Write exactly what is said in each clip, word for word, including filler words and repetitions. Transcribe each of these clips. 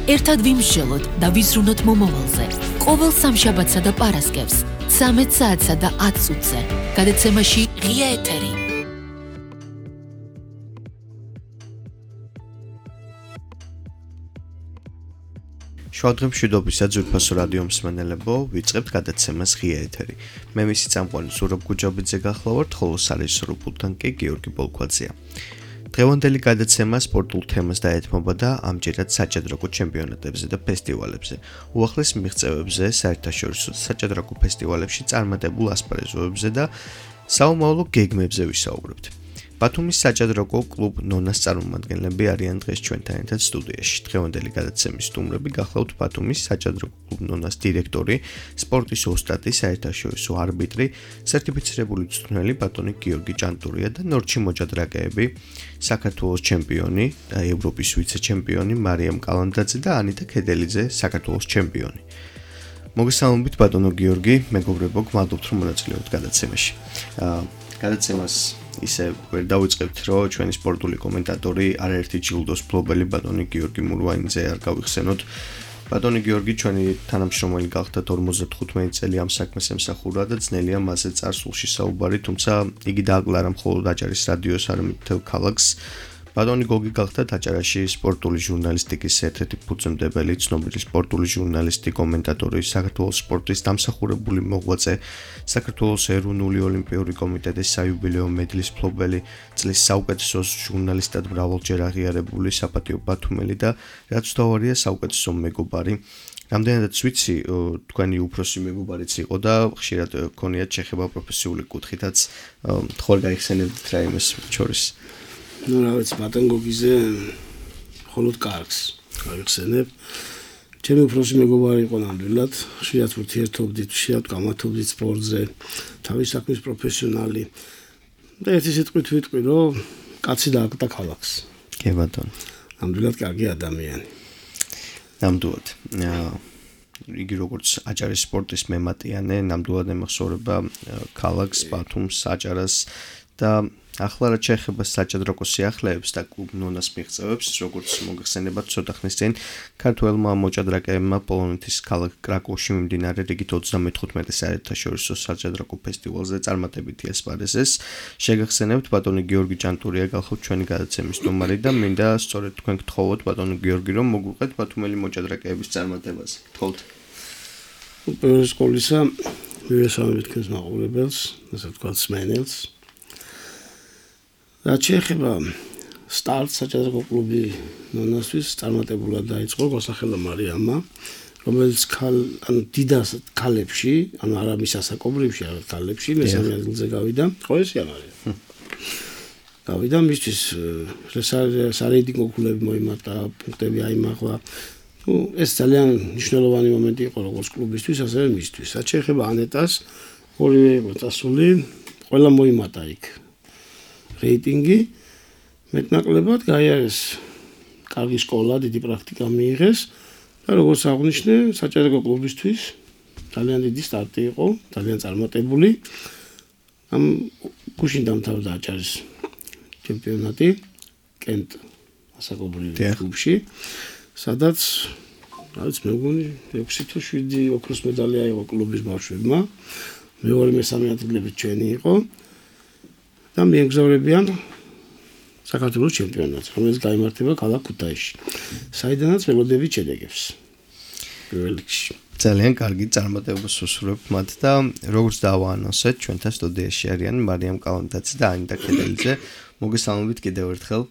ერთად ვიმსჯელოთ და ვიზრუნოთ მომავალზე. ყოველ სამშაბათსა და პარასკევს, ცამეტ საათსა და ათ წუთზე. გადაცემაში ღია ეთერი. შუადღე მშვიდობისა ძვირფასო რადიო მსმენელებო, ვიწყებთ გადაცემას ღია ეთერი. მე მისი წამყვანი ზურაბ გუჯაბიძე გახლავართ, ხოლო სარეჟისორო პულტთან კი გიორგი ბოლქვაძეა. დღევანდელი გადაცემა სპორტულ თემას დაეთმობა და ამჯერად საჭადრაკო ჩემპიონატებზე და ფესტივალებზე. უახლეს მიღწევებზე, საერთაშორისო საჭადრაკო ფესტივალებში წარმატებულ ასპარეზობებზე და საომავლო გეგმებზე ვისაუბრებთ. ბათუმის საჭადრაკო კლუბ ნონას წარმომადგენლები არიან დღეს ჩვენთან ერთად სტუდიაში. დღევანდელი გადაცემის სტუმრები გახლავთ ბათუმის საჭადრაკო კლუბ ნონას დირექტორი, სპორტის ოსტატი, საერთაშორისო არბიტრი, სერტიფიცირებული მწვრთნელი ბატონი გიორგი ჭანტურია და ნორჩი მოჭადრაკეები, საქართველოს ჩემპიონი და ევროპის ვიცე-ჩემპიონი მარიამ კალანდაძე და ანიტა ქედელიძე, საქართველოს ჩემპიონი. მოგესალმებით ბატონო გიორგი, მეგობრებო, გმადლობთ რომ მონაწილეობთ გადაცემაში. გადაცემას ისე ვერ დავიწყებთ, რომ ჩვენი სპორტული კომენტატორი არაერთი ჯილდოს მფლობელი ბატონი გიორგი მურვაინიძე არ გავიხსენოთ. ბატონი გიორგი ჩვენი თანამშრომელი გახდათ ორმოცდათხუთმეტი წელი ამ საქმეს ემსახურა და ძნელია მასზე წარსულში საუბარი, თუმცა იგი დააკლარა მხოლოდ აჭარის რადიოს, არამედ მთელ ქალაქს. ბატონი გოგი გახდათ აჭარაში სპორტული ჟურნალისტიკის ერთ-ერთი ფუძემდებელი, ცნობილი სპორტული ჟურნალისტი, კომენტატორი, საქართველოს სპორტის დამსახურებული მოღვაწე, საქართველოს ეროვნული ოლიმპიური კომიტეტის საიუბილეო მედლის მფლობელი, წლის საუკეთესო ჟურნალისტად მრავალჯერ აღიარებული საპატიო ბათუმელი და რაც თავარია საუკეთესო მეგობარი. რამდენადაც ვიცი, თქვენი უფროსი მეგობარიც იყო და ხშირად გქონიათ შეხება პროფესიული კუთხითაც, თქვენ გაიხსენებთ რა იმას შორის. ну რავაც ბატონ გოგიზე მხოლოდ კარგს გავიხსენებ. ჩემი უფროსი მეგობარი იყო ნამდვილად, ხშირად ურთიერთობდით, ხშირად გამართობდით სპორტზე, თავის საქმის პროფესიონალი. და ერთი სიტყვით ვიტყვი, რომ კაცი დააკდა ქალაქს. კი ბატონო. ნამდვილად კარგი ადამიანი. ნამდვილად. იგი როგორც აჭარის სპორტის მემატიანე, ნამდვილად ემახსოვრება ქალაქს, ბათუმს, აჭარას და ახლა რაც შეეხება საჭადრაკო სიახლეებს და კლუბ ნონას მიღწევებს, როგორც მოგეხსენებათ ცოტა ხნის წინ ქართველმა მოჭადრაკეებმა პოლონეთის ქალაქ კრაკოვში მიმდინარე რიგით ოცდამეთხუთმეტე საერთაშორისო საჭადრაკო ფესტივალზე წარმატებითი ასპარეზეს. შეგახსენებთ ბატონი გიორგი ჭანტურია გახლავთ ჩვენი გადაცემის სტუმარი და მინდა სწორედ თქვენ გთხოვოთ ბატონი გიორგი რომ მოგვიყვეთ ბათუმელი მოჭადრაკეების წარმატებაზე. გთხოვთ. პირველი სკოლისა მივესალმებით თქვენს მაყურებელს, ასე ვთქვათ სმენელს. რაც შეეხება სტარტ საჭადრაკო კლუბი ნონასთვის წარმატებულად დაიწყო გასახელა მარიამმა, რომელიც ანუ დიდას ქალებში, ანუ არამის ასაკობრივში, არა ქალებში, მესამე ადგილზე გავიდა. ხო ესია მარიამ. გავიდა მისთვის სარეიტინგო ქულები მოიმატა, პუნქტები აიმაღლა. ну ეს ძალიან მნიშვნელოვანი მომენტი იყო როგორც კლუბისთვის, ასევე მისთვის. რაც შეეხება ანეტას, ორივე იყო წასული, ყველა მოიმატა იქ. რეიტინგი მეტნაკლებად გაიარეს კარგი სკოლა, დიდი პრაქტიკა მიიღეს და როგორც აღნიშნე, საჭადრაკო კლუბისთვის ძალიან დიდი სტარტი იყო, ძალიან წარმატებული. ამ გუშინ დამთავრდა აჭარის ჩემპიონატი კენტ ასაკობრივ კლუბში, სადაც რაც მე მგონი ექვსი თუ შვიდი ოქროს მედალი აიღო კლუბის ბავშვებმა. მეორე მესამე ადგილები ჩვენი იყო. და მიეგზავნებიან საქართველოს ჩემპიონატს, რომელიც გაიმართება ქალაქ ქუთაისში. საიდანაც ველოდებით შედეგებს. პირველ რიგში. ძალიან კარგი წარმატებას უსურვებთ მათ და როგორც დავაანონსეთ, ჩვენთან სტუდიაში არიან მარიამ კალანდაძე და ანიტა ქედელიძე. მოგესალმებით კიდევ ერთხელ.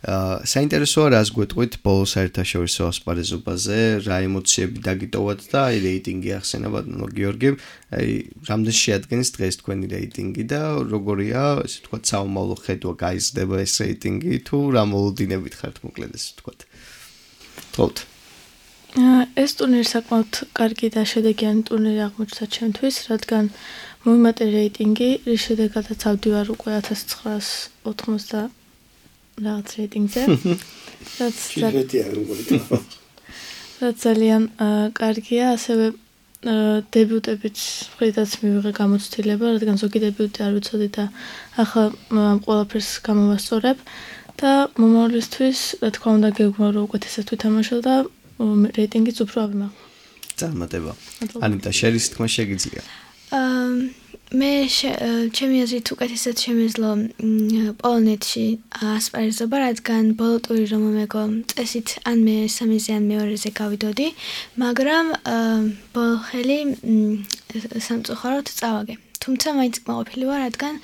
აა საინტერესოა რას გვეტყვით ბოლოს საერთაშორისო ასპარეზობაზე, რა ემოციები დაგიტოვათ და აი რეიტინგი ახსენა ბატონო გიორგი, აი რამდენი შეადგენს დღეს თქვენი რეიტინგი და როგორია, ესე ვთქვათ, საომავლო ხედვა გაიზრდება ეს რეიტინგი თუ რა მოლოდინებით ხართ მოკლედ ესე ვთქვათ. თქოთ. ეს ტურნირი საკმაოდ კარგი და შედეგიანი ტურნირი აღმოჩნდა ჩემთვის, რადგან მომიმატე რეიტინგი, რის შედეგადაც ავდივარ უკვე ათას ცხრაას ოთხმოცდა რაღაც რეიტინგზე. რაც რაც ძალიან კარგია, ასევე დებიუტებით მხრიდაც მივიღე გამოცდილება, რადგან ზოგი დებიუტი არ ვიცოდი და ახლა ამ ყველაფერს გამოვასწორებ. და მომავლისთვის, რა თქმა უნდა, გეგმა რომ უკეთესად ვითამაშო და რეიტინგიც უფრო ავიმაღლა. წარმატება. ანიტა, შერის თქმა შეგიძლია. აა მე ჩემი აზრით უკეთესად შემეძლო პოლონეთში ასპარეზობა, რადგან ბოლო ტური რომ მომეგო წესით ან მე სამეზე ან მეორეზე გავიდოდი, მაგრამ ბოლო ხელი სამწუხაროდ წავაგე. თუმცა მაინც კმაყოფილი ვარ, რადგან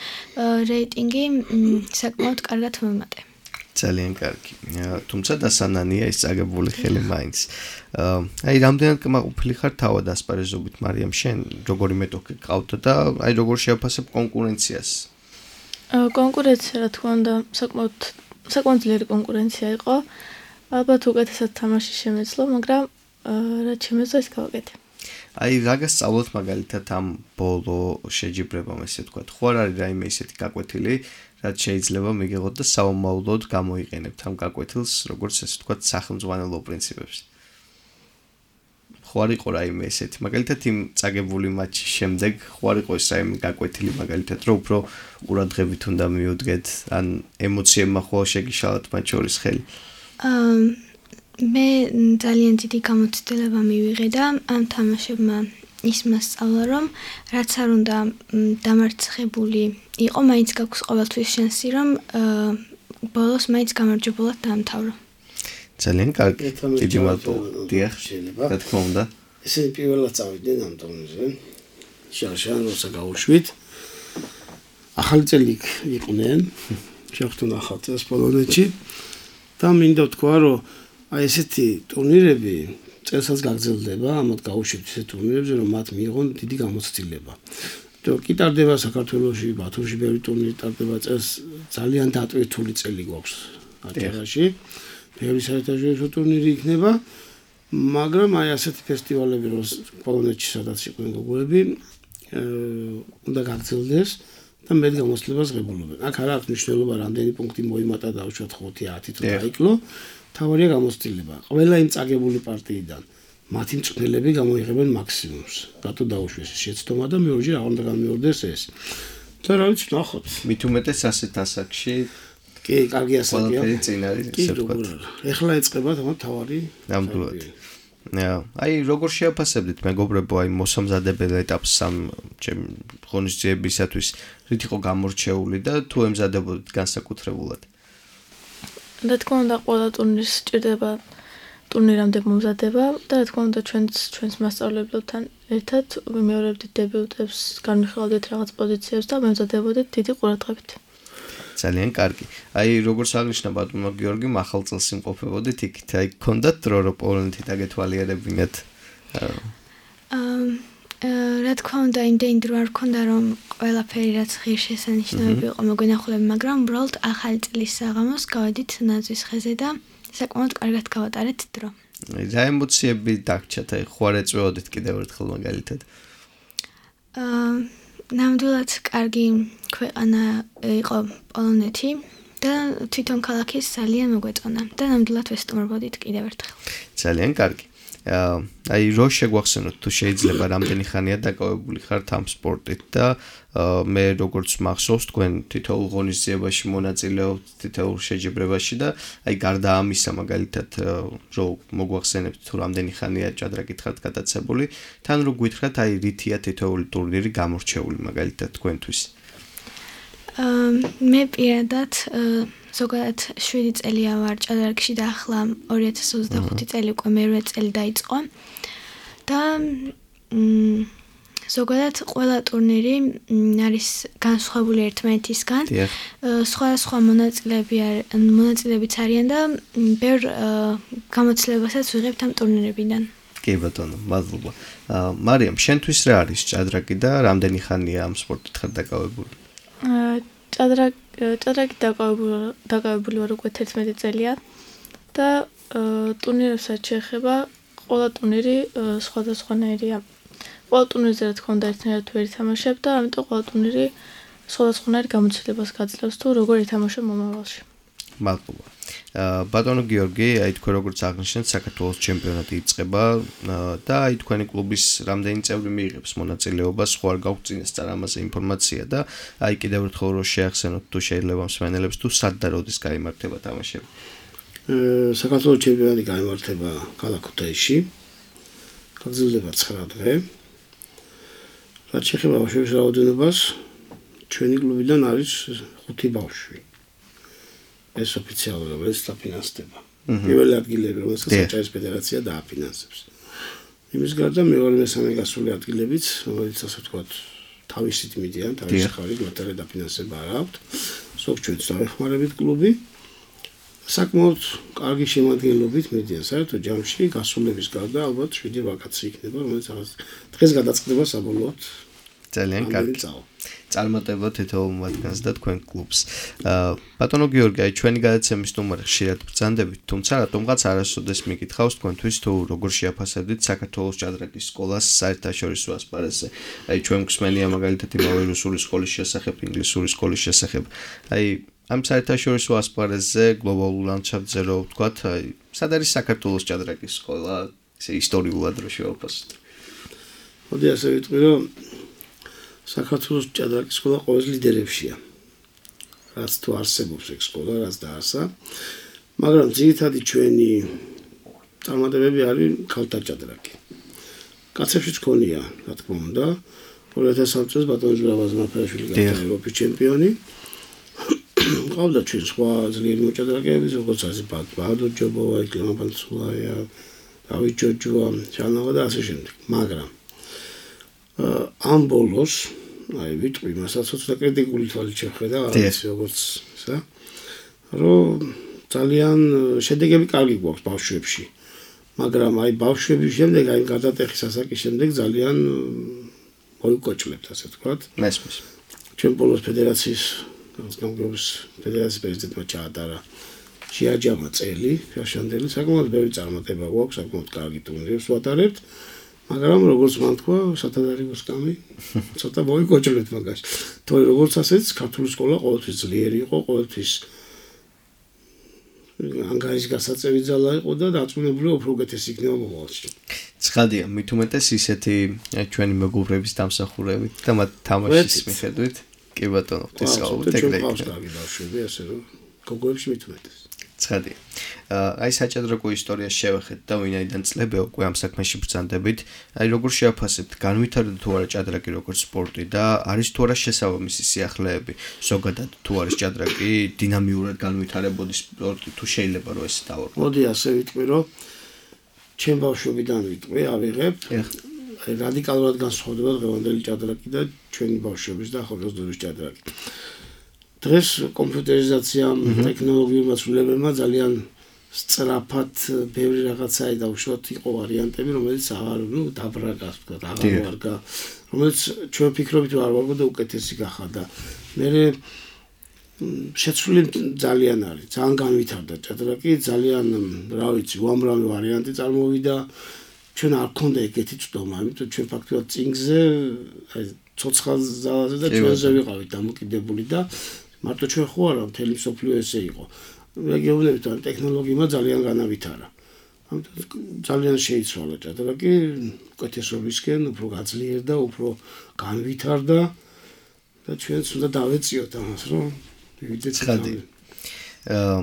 რეიტინგი საკმაოდ კარგად მომიმატე. ძალიან კარგი. თუმცა დასანანია ის წაგებული ხელი მაინც. აი რამდენად კმაყოფილი ხარ თავად ასპარეზობით, მარიამ, შენ როგორი მეტოქი გყავდა და აი როგორ შეაფასებ კონკურენციას? კონკურენცია, რა თქმა უნდა, საკმაოდ საკმაოდ ძლიერი კონკურენცია იყო. ალბათ უკეთესად თამაში შემეძლო, მაგრამ რაც შემეძლო ის გავაკეთე. აი რა გასწავლოთ მაგალითად ამ ბოლო შეჯიბრებამ, ესე ვთქვათ. ხო არ არის რაიმე ისეთი გაკვეთილი, რაც შეიძლება მიგიღოთ და საომავლოდ გამოიყენებთ ამ გაკვეთილს, როგორც ესე ვთქვათ, სახელმძღვანელო პრინციპებს. ხო არ იყო რაიმე ესეთი, მაგალითად იმ წაგებული მატჩის შემდეგ, ხო არ იყო ეს რაიმე გაკვეთილი, მაგალითად, რომ უფრო ყურადღებით უნდა მიუდგეთ, ან ემოციებმა ხო შეგიშალათ მათ შორის ხელი? აა მე ძალიან დიდი გამოცდილება მივიღე და ამ თამაშებმა ის მასწავლა, რომ რაც არ უნდა დამარცხებული იყო, მაინც გაქვს ყოველთვის შანსი, რომ ბოლოს მაინც გამარჯვებულად დაამთავრო. ძალიან კარგი. დიდი მადლობა. დიახ, რა თქმა უნდა. ესენი პირველად წავიდნენ ამ ტურნირზე. შარშან როცა გავუშვით. ახალი წელი იყვნენ. შეხვდნენ ახალ წელს პოლონეთში. და მინდა ვთქვა, რომ აი ესეთი ტურნირები წელსაც გაგრძელდება, ამათ გავუშვით ესეთ ტურნირებზე, რომ მათ მიიღონ დიდი გამოცდილება. თუ კი ტარდება საქართველოში, ბათუმში ბევრი ტურნირი ტარდება წელს, ძალიან დატვირთული წელი გვაქვს აჭარაში. ბევრი საერთაშორისო ტურნირი იქნება, მაგრამ აი ასეთი ფესტივალები, რომ პოლონეთში სადაც იყვნენ გოგოები, უნდა გაგრძელდეს და მეტ გამოცდილებას ღებულობენ. აქ არ აქვს მნიშვნელობა, რამდენი პუნქტი მოიმატა და უშუალოდ ხუთი ათი თუ დაიკლო. თავარია გამოცდილება. ყველა იმ წაგებული პარტიიდან მათი მწვრთნელები გამოიღებენ მაქსიმუმს. რატო დაუშვეს ეს შეცდომა და მეორჯერ აღარ უნდა გამეორდეს ეს. და რა ვიცი, ნახოთ. მით უმეტეს ასეთ ასაკში კი, კარგი ასაკია. ყველაფერი წინ არის, ესე ვთქვათ. ეხლა ეწყება თამარ თავარი. ნამდვილად. აი როგორ შეაფასებდით მეგობრებო აი მოსამზადებელ ეტაპს ამ ღონისძიებისათვის რით იყო გამორჩეული და თუ ემზადებოდით განსაკუთრებულად? რა თქმა უნდა ყველა ტურნირს სჭირდება ტურნირამდე მომზადება და რა თქმა უნდა ჩვენც ჩვენს მასწავლებლებთან ერთად ვიმეორებდით დებიუტებს, განვიხილავდით რაღაც პოზიციებს და მემზადებოდით დიდი ყურადღებით. ძალიან კარგი. აი როგორც აღნიშნა ბატონო გიორგიმ, ახალ წელს იმყოფებოდით იქით, აი გქონდათ დრო რომ პოლონეთი დაგეთვალიერებინათ? აა რა თქმა უნდა იმდენი დრო არ ქონდა რომ ყველაფერი რაც ღირსშესანიშნავი იყო მოგვენახულები, მაგრამ უბრალოდ ახალი წლის საღამოს გავედით ნაძვის ხეზე და საკმაოდ კარგად გავატარეთ დრო. რა ემოციები დაგჭათ, აი ხო არ ეწვეოდით კიდევ ერთხელ მაგალითად? აა ნამდვილად კარგი ქვეყანა იყო პოლონეთი და თვითონ ქალაქის ძალიან მოგვეწონა და ნამდვილად ვესტუმრობოდით კიდევ ერთხელ. ძალიან კარგი. აი რო შეგვახსენოთ თუ შეიძლება რამდენი ხანია დაკავებული ხართ ამ სპორტით და მე როგორც მახსოვს თქვენ თითოეულ ღონისძიებაში მონაწილეობთ, თითოეულ შეჯიბრებაში და აი გარდა ამისა მაგალითად რო მოგვახსენებთ თუ რამდენი ხანია ჭადრაკით ხართ გადაცებული, თან რო გვითხრათ აი რითია თითოეული ტურნირი გამორჩეული მაგალითად თქვენთვის? მე პირადად ზოგადად შვიდი წელია ვარ ჭადრაკში და ახლა ორი ათას ოცდახუთი წელი უკვე მერვე წელი დაიწყო და ზოგადად ყველა ტურნირი არის განსხვავებული ერთმანეთისგან. სხვა-სხვა მონაწილეები მონაწილეებიც არიან და ბევრ გამოცდილებასაც ვიღებთ ამ ტურნირებიდან. კი ბატონო, მადლობა. მარიამ, შენთვის რა არის ჭადრაკი და რამდენი ხანია ამ სპორტით ხარ დაკავებული? ჭადრაკ ჭადრაკით დაკავებული ვარ უკვე თერთმეტი წელია და ტურნირებსაც შეეხება ყველა ტურნირი სხვადასხვანაირია. ყველა ტურნირზე რა თქმა უნდა ერთნაირად ვერ ითამაშებ და ამიტომ ყველა ტურნირი სხვადასხვანაირ გამოცდილებას გაძლევს თუ როგორ ითამაშო მომავალში. მადლობა. ბატონო გიორგი, აი თქვენ როგორც აღნიშნეთ, საქართველოს ჩემპიონატი იწყება და აი თქვენი კლუბის რამდენი წევრი მიიღებს მონაწილეობას, ხო არ გაქვთ წინასწარ ამაზე ინფორმაცია და აი კიდევ ერთხელ რო შეახსენოთ თუ შეიძლება მსმენელებს თუ სად და როდის გაიმართება თამაშები. საქართველოს ჩემპიონატი გაიმართება ქალაქ ქუთაისში. გაგრძელდება ცხრა დღე. რაც შეეხება ბავშვების რაოდენობას, ჩვენი კლუბიდან არის ხუთი ბავშვი. ეს ოფიციალურად ეს დაფინანსდება. პირველი ადგილები, რომელსაც საჭალის ფედერაცია დააფინანსებს. იმის გარდა მეორე მესამე გასული ადგილებიც, რომელიც ასე ვთქვათ, თავისით მიდიან, თავისი ხარით მათი დაფინანსება არ აქვთ. ზოგ ჩვენც დავეხმარებით კლუბი. საკმაოდ კარგი შემადგენლობით მიდიან საერთო ჯამში გასულების გარდა ალბათ შვიდი ვაკაცი იქნება, რომელიც დღეს გადაწყდება საბოლოოდ. ძალიან კარგი. წარმატება თითოეულ მათგანს და თქვენ კლუბს. ბატონო გიორგი, აი ჩვენი გადაცემის ნომერი ხშირად ბრძანდებით, თუმცა რატომღაც არასოდეს მიკითხავს თქვენთვის თუ როგორ შეაფასებდით საქართველოს ჭადრაკის სკოლას საერთაშორისო ასპარეზზე. აი ჩვენ გვსმენია მაგალითად იმავე რუსული სკოლის შესახებ, ინგლისური სკოლის შესახებ. აი ამ საერთაშორისო ასპარეზზე გლობალურ ლანდშაფტზე რო ვთქვათ, აი სად არის საქართველოს ჭადრაკის სკოლა, ისე ისტორიულად რო შევაფასოთ. მოდი ასე ვიტყვი, რომ საქართველოს ჭადრაკის სკოლა ყოველ ლიდერებშია. რაც თუ არსებობს ეგ სკოლა, რაც დაარსა, მაგრამ ძირითადი ჩვენი წარმატებები არის ქალთა ჭადრაკი. კაცებშიც ქონია, რა თქმა უნდა, ორი ათას სამი წელს ბატონი ზურაბ აზნაფრაშვილი გახდა ევროპის ჩემპიონი. ყავდა ჩვენ სხვა ძლიერი მოჭადრაკეები, როგორც არის ბადო ჯობოვა, იკლემა პანცულაია, დავით ჯოჯოა, ჩანავა და ასე შემდეგ. მაგრამ ამ ბოლოს, აი ვიტყვი, მასაც ცოტა კრიტიკული თვალით შეხედა, არის როგორც ისა, რომ ძალიან შედეგები კარგი გვაქვს ბავშვებში. მაგრამ აი ბავშვების შემდეგ, აი გადატეხის ასაკის შემდეგ ძალიან მოიკოჭლებთ, ასე ვთქვათ. მესმის. ჩვენ ბოლოს ფედერაციის გამგეობის ფედერაციის პრეზიდენტმა ჩაატარა შეაჯამა წელი, ფაშანდელი, საკმაოდ ბევრი წარმატება გვაქვს, საკმაოდ კარგი ტურნირებს ვატარებთ. მაგრამ როგორც მან თქვა, სათადარიგო სკამი, ცოტა მოიკოჭლებთ მაგაში. თორე როგორც ასეც ქართული სკოლა ყოველთვის ძლიერი იყო, ყოველთვის ანგარის გასაწევი ძალა იყო და დაწუნებული უფრო უკეთესი იქნება მომავალში. ცხადია, მით უმეტეს ისეთი ჩვენი მეგობრების დამსახურებით და მათ თამაშის მიხედვით, კი ბატონო, ღვთისმსწავლობით ეგრე იქნება. ჩვენ კარგი ბავშვები, ასე რომ გოგოებში მით უმეტეს. ცხადია. აი საჭადრაკო ისტორიას შევეხეთ და ვინაიდან წლები უკვე ამ საქმეში ბრძანდებით, აი როგორ შეაფასებთ, განვითარდა თუ არა ჭადრაკი როგორც სპორტი და არის თუ არა შესაბამისი სიახლეები, ზოგადად თუ არის ჭადრაკი დინამიურად განვითარებოდი სპორტი, თუ შეიძლება რომ ეს დავარქვა. მოდი ასე ვიტყვი, რომ ჩემ ბავშვობიდან ვიტყვი, ავიღებ. აი რადიკალურად განსხვავდება დღევანდელი ჭადრაკი და ჩვენი ბავშვობის და ახალგაზრდობის ჭადრაკი. დღეს კომპიუტერიზაციამ, ტექნოლოგიურმა ცვლილებებმა ძალიან სწრაფად ბევრი რაღაცა დაუშვათ, იყო ვარიანტები, რომელიც აღარ, ნუ დაბრაგას, ვთქვათ, აღარ ვარგა, რომელიც ჩვენ ვფიქრობთ, რომ არ ვარგო და უკეთესი გახადა. მე შეცვლილი ძალიან არის, ძალიან განვითარდა ჭადრაკი, ძალიან, რა ვიცი, უამრავი ვარიანტი წარმოვიდა. ჩვენ არ გქონდა ეგეთი წვდომა, იმიტომ ჩვენ ფაქტობრივად წინგზე, აი ცოცხალ ძალაზე და ჩვენზე ვიყავით დამოკიდებული და მარტო ჩვენ ხო არა, მთელი მსოფლიო ესე იყო. რეგიონებით ან ტექნოლოგიებმა ძალიან განავითარა. ამიტომ ძალიან შეიცვალა ჭადრაკი, უკეთესობისკენ, უფრო გაძლიერდა, უფრო განვითარდა და ჩვენც უნდა დავეციოთ ამას, რომ ვიდეთ ცხადი. აა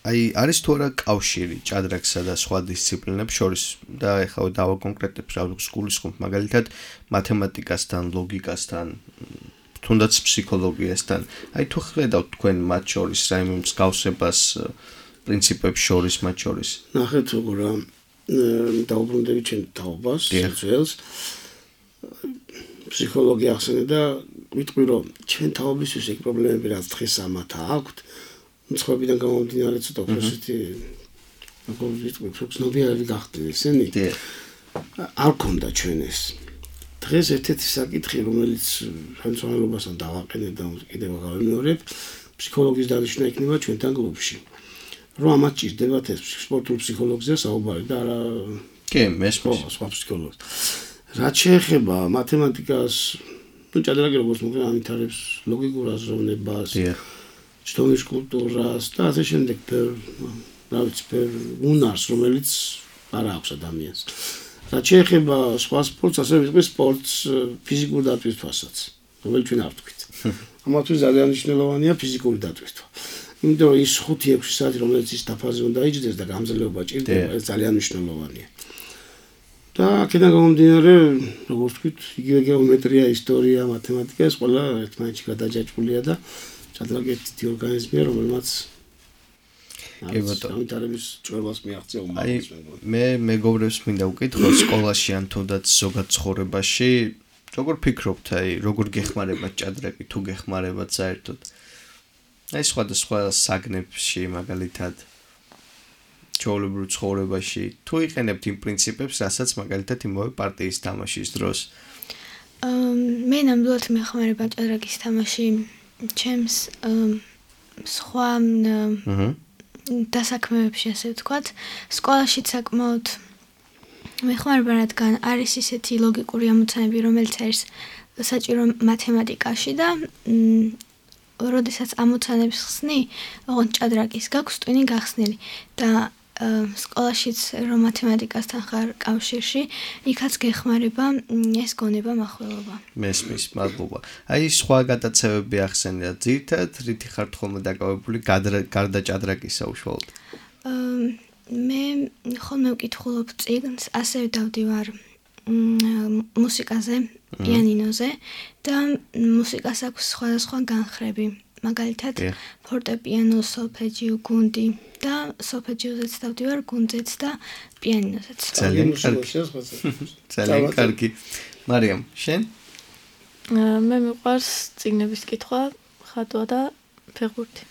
აი არის თუ არა კავშირი ჭადრაკსა და სხვა დისციპლინებს შორის და ეხლა დავაკონკრეტებ რა სკოლის ხომ მაგალითად მათემატიკასთან, ლოგიკასთან, თუნდაც ფსიქოლოგიასთან. აი თუ ხედავთ თქვენ მათ შორის რაიმე მსგავსებას პრინციპებს შორის მათ შორის. ნახეთ როგორ დაუბრუნდები ჩვენ თაობას, ძველს. ფსიქოლოგია ახსენე და ვიტყვი რომ ჩვენ თაობისთვის ეგ პრობლემები რაც დღეს ამათ აქვთ. ცხოვრებიდან გამომდინარე ცოტა უბრალოდ როგორ ვიტყვი, ფსიქოლოგიები გახდნენ ესენი. არ ქონდა ჩვენ ეს. დღეს ერთ-ერთი საკითხი, რომელიც ხელმძღვანელობასთან დავაყენე და კიდევ გავიმეორებ, ფსიქოლოგიის დანიშვნა იქნება ჩვენთან კლუბში. რომ ამათ ჭირდებათ ეს სპორტულ ფსიქოლოგზე საუბარი და არა კი, მესმის სხვა ფსიქოლოგს. რაც შეეხება მათემატიკას, ну ჭადრაკი როგორც მოგე ამითარებს ლოგიკურ აზროვნებას. ჩდომის კულტურას და ასე შემდეგ რა ვიცი, უნარს, რომელიც არ აქვს ადამიანს. რაც შეეხება სხვა სპორტს, ასე ვიტყვი სპორტს ფიზიკური დატვირთვასაც, რომელიც ჩვენ არ ვთქვით. ამათთვის ძალიან მნიშვნელოვანია ფიზიკური დატვირთვა. იმიტომ რომ ის ხუთი ექვსი საათი, რომელიც ის დაფაზე უნდა იჯდეს და გამძლეობა ჭირდება, ეს ძალიან მნიშვნელოვანია. და აქედან გამომდინარე, როგორც ვთქვით, იგივე გეომეტრია, ისტორია, მათემატიკა, ეს ყველა ერთმანეთში გადაჯაჭვულია და ჭადრაკი ერთი ორგანიზმია, რომელმაც კი ბატონო, გამიტარების ჭრელას მიაღწია უმაღლეს მეგობრებს. მე მეგობრებს მინდა ვკითხო სკოლაში ან თუნდაც ზოგად ცხოვრებაში, როგორ ფიქრობთ, აი, როგორ გეხმარებათ ჭადრაკი, თუ გეხმარებათ საერთოდ? აი, სხვადასხვა საგნებში, მაგალითად, ჩვეულებრივ ცხოვრებაში, თუ იყენებთ იმ პრინციპებს, რასაც მაგალითად იმავე პარტიის თამაშის დროს? მე ნამდვილად მეხმარება ჭადრაკის თამაში ჩემს სხვა დასაქმებებში, ასე ვთქვათ, სკოლაშიც საკმაოდ მეხმარება, რადგან არის ისეთი ლოგიკური ამოცანები, რომელიც არის საჭირო მათემატიკაში და როდესაც ამოცანებს ხსნი, ოღონდ ჭადრაკის გაქვს ტვინი გახსნილი და სკოლაშიც რომ მათემატიკასთან ხარ კავშირში, იქაც გეხმარება ეს გონება მახველობა. მესმის, მადლობა. აი, სხვა გადაცემები ახსენეთ, ძირითადად რითი ხართ ხოლმე დაკავებული გარდა ჭადრაკისა უშუალოდ? მე ხოლმე ვკითხულობ წიგნს, ასევე დავდივარ მუსიკაზე, პიანინოზე და მუსიკას აქვს სხვადასხვა განხრები. მაგალითად, ფორტეპიანო, სოლფეჯიო, გუნდი და სოლფეჯიოზეც დავდივარ, გუნდზეც და პიანინოზეც. ძალიან კარგი. ძალიან კარგი. მარიამ, შენ? მე მიყვარს წიგნების კითხვა, ხატვა და ფეხბურთი.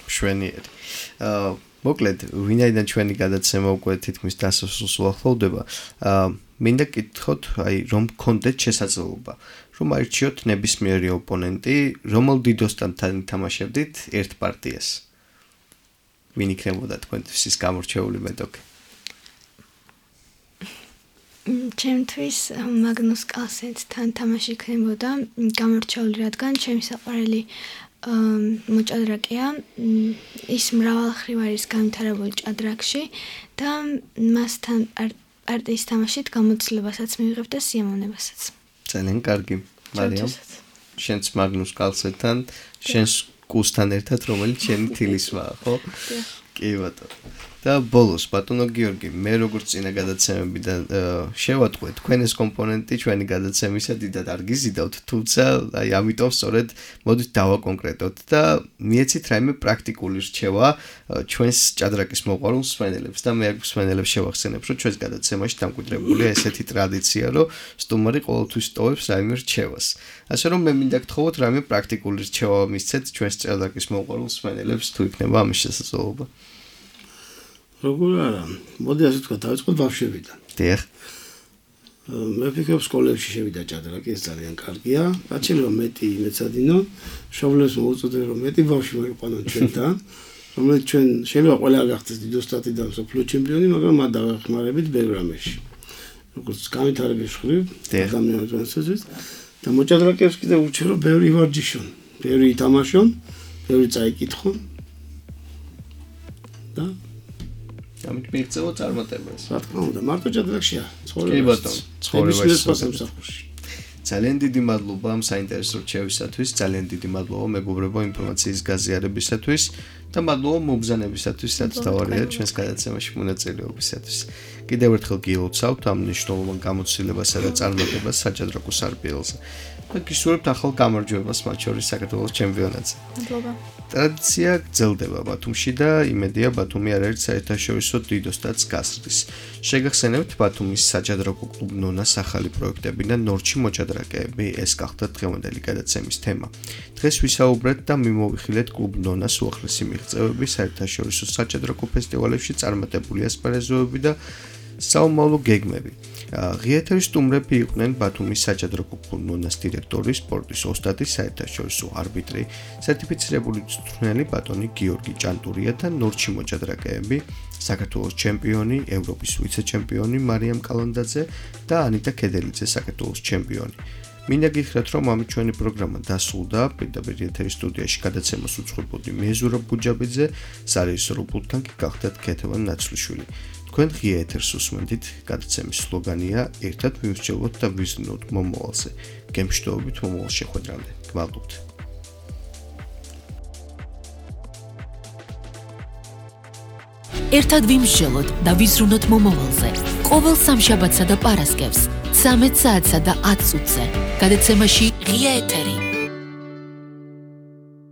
მშვენიერი. აა მოკლედ, ვინაიდან ჩვენი გადაცემა უკვე თითქმის დასასრულს უახლოვდება, აა მინდა გკითხოთ, აი, რომ გქონდეთ შესაძლებლობა, რომ აირჩიოთ ნებისმიერი ოპონენტი, რომელ დიდოსთან თან ითამაშებდით ერთ პარტიას. ვინ იქნებოდა თქვენთვის ის გამორჩეული მეტოქი? ჩემთვის მაგნუს კალსენთან თამაში იქნებოდა გამორჩეული, რადგან ჩემი საყვარელი მოჭადრაკეა, ის მრავალხრივ არის განვითარებული ჭადრაკში და მასთან პარტიის თამაშით გამოცდილებასაც მივიღებ და სიამოვნებასაც. ძალიან კარგი. მარიამ, შენც მაგნუს კალსენთან, შენს კუსთან ერთად, რომელიც შენი თილისვაა, ხო? კი ბატონო. და ბოლოს, ბატონო გიორგი, მე როგორც წინა გადაცემებიდან შევატყვე, თქვენ ეს კომპონენტი ჩვენი გადაცემისა დიდად არ გიზიდავთ, თუმცა აი ამიტომ სწორედ მოდით დავაკონკრეტოთ და მიეცით რაიმე პრაქტიკული რჩევა ჩვენს ჭადრაკის მოყვარულ მსმენელებს და მე აქ მსმენელებს შევახსენებ, რომ ჩვენს გადაცემაში დამკვიდრებულია ესეთი ტრადიცია, რომ სტუმარი ყოველთვის ტოვებს რაიმე რჩევას. ასე რომ მე მინდა გთხოვოთ რაიმე პრაქტიკული რჩევა მისცეთ ჩვენს ჭადრაკის მოყვარულ მსმენელებს, თუ იქნება ამის შესაძლებლობა. როგორ არა, მოდი ასე ვთქვა, დავიწყოთ ბავშვებიდან. დიახ. მე ვფიქრობ, სკოლებში შევიდა ჭადრაკი, ეს ძალიან კარგია. რაც შეიძლება მეტი მეცადინო, შობლებს მოუწოდე რომ მეტი ბავშვი მოიყვანონ ჩვენთან, რომელიც ჩვენ შეიძლება ყველა გახდეს დიდოსტატი და მსოფლიო ჩემპიონი, მაგრამ მათ დავეხმარებით ბევრ რამეში. როგორც განვითარების მხრივ, ადამიანებისთვის და მოჭადრაკეებს კიდევ ურჩევ რომ ბევრი ივარჯიშონ, ბევრი ითამაშონ, ბევრი წაიკითხონ და ამით მიიღწევა წარმატებას. რა თქმა უნდა, მარტო ჭადრაკშია, ცხოვრება. კი ბატონო, ცხოვრებაში. სამსახურში. ძალიან დიდი მადლობა ამ საინტერესო რჩევისათვის, ძალიან დიდი მადლობა მეგობრებო ინფორმაციის გაზიარებისათვის და მადლობა მომბრძანებისათვის, რაც დავარია ჩვენს გადაცემაში მონაწილეობისათვის. კიდევ ერთხელ გილოცავთ ამ მნიშვნელოვან გამოცდილებასა და წარმატებას საჭადრაკო სარბიელზე. და გისურვებთ ახალ გამარჯვებას მათ შორის საქართველოს ჩემპიონატზე. მადლობა. ტრადიცია გრძელდება ბათუმში და იმედია ბათუმი არაერთ საერთაშორისო დიდოსტატს გასცდის. შეგახსენებთ ბათუმის საჭადრაკო კლუბ ნონას ახალი პროექტები და ნორჩი მოჭადრაკეები, ეს გახდა დღევანდელი გადაცემის თემა. დღეს ვისაუბრეთ და მიმოვიხილეთ კლუბ ნონას უახლესი მიღწევები საერთაშორისო საჭადრაკო ფესტივალებში წარმატებული ასპარეზოები და საომავლო გეგმები. ღიეთერის სტუმრები იყვნენ ბათუმის საჭადრაკო კლუბ ნონას დირექტორი, სპორტის ოსტატი, საერთაშორისო არბიტრი, სერტიფიცირებული მწვრთნელი ბატონი გიორგი ჭანტურია და ნორჩი მოჭადრაკეები, საქართველოს ჩემპიონი, ევროპის ვიცე-ჩემპიონი მარიამ კალანდაძე და ანიტა ქედელიძე, საქართველოს ჩემპიონი. მინდა გითხრათ, რომ ამით ჩვენი პროგრამა დასრულდა. პირდაპირ ეთერის სტუდიაში გადაცემას უძღვებოდი მე ზურაბ გუჯაბიძე, სარეჟისორო პულტთან კი გახდათ ქეთევან ნაცვლიშვილი. თქვენ ღია ეთერს უსმენთ, გადაცემის სლოგანია ერთად მივსჯელოთ და ვიზრუნოთ მომავალზე. გემშვიდობით მომავალ შეხვედრამდე. გმადლობთ. ერთად ვიმსჯელოთ და ვიზრუნოთ მომავალზე. ყოველ სამშაბათსა და პარასკევს, ცამეტ საათსა და ათ წუთზე. გადაცემაში ღია ეთერი.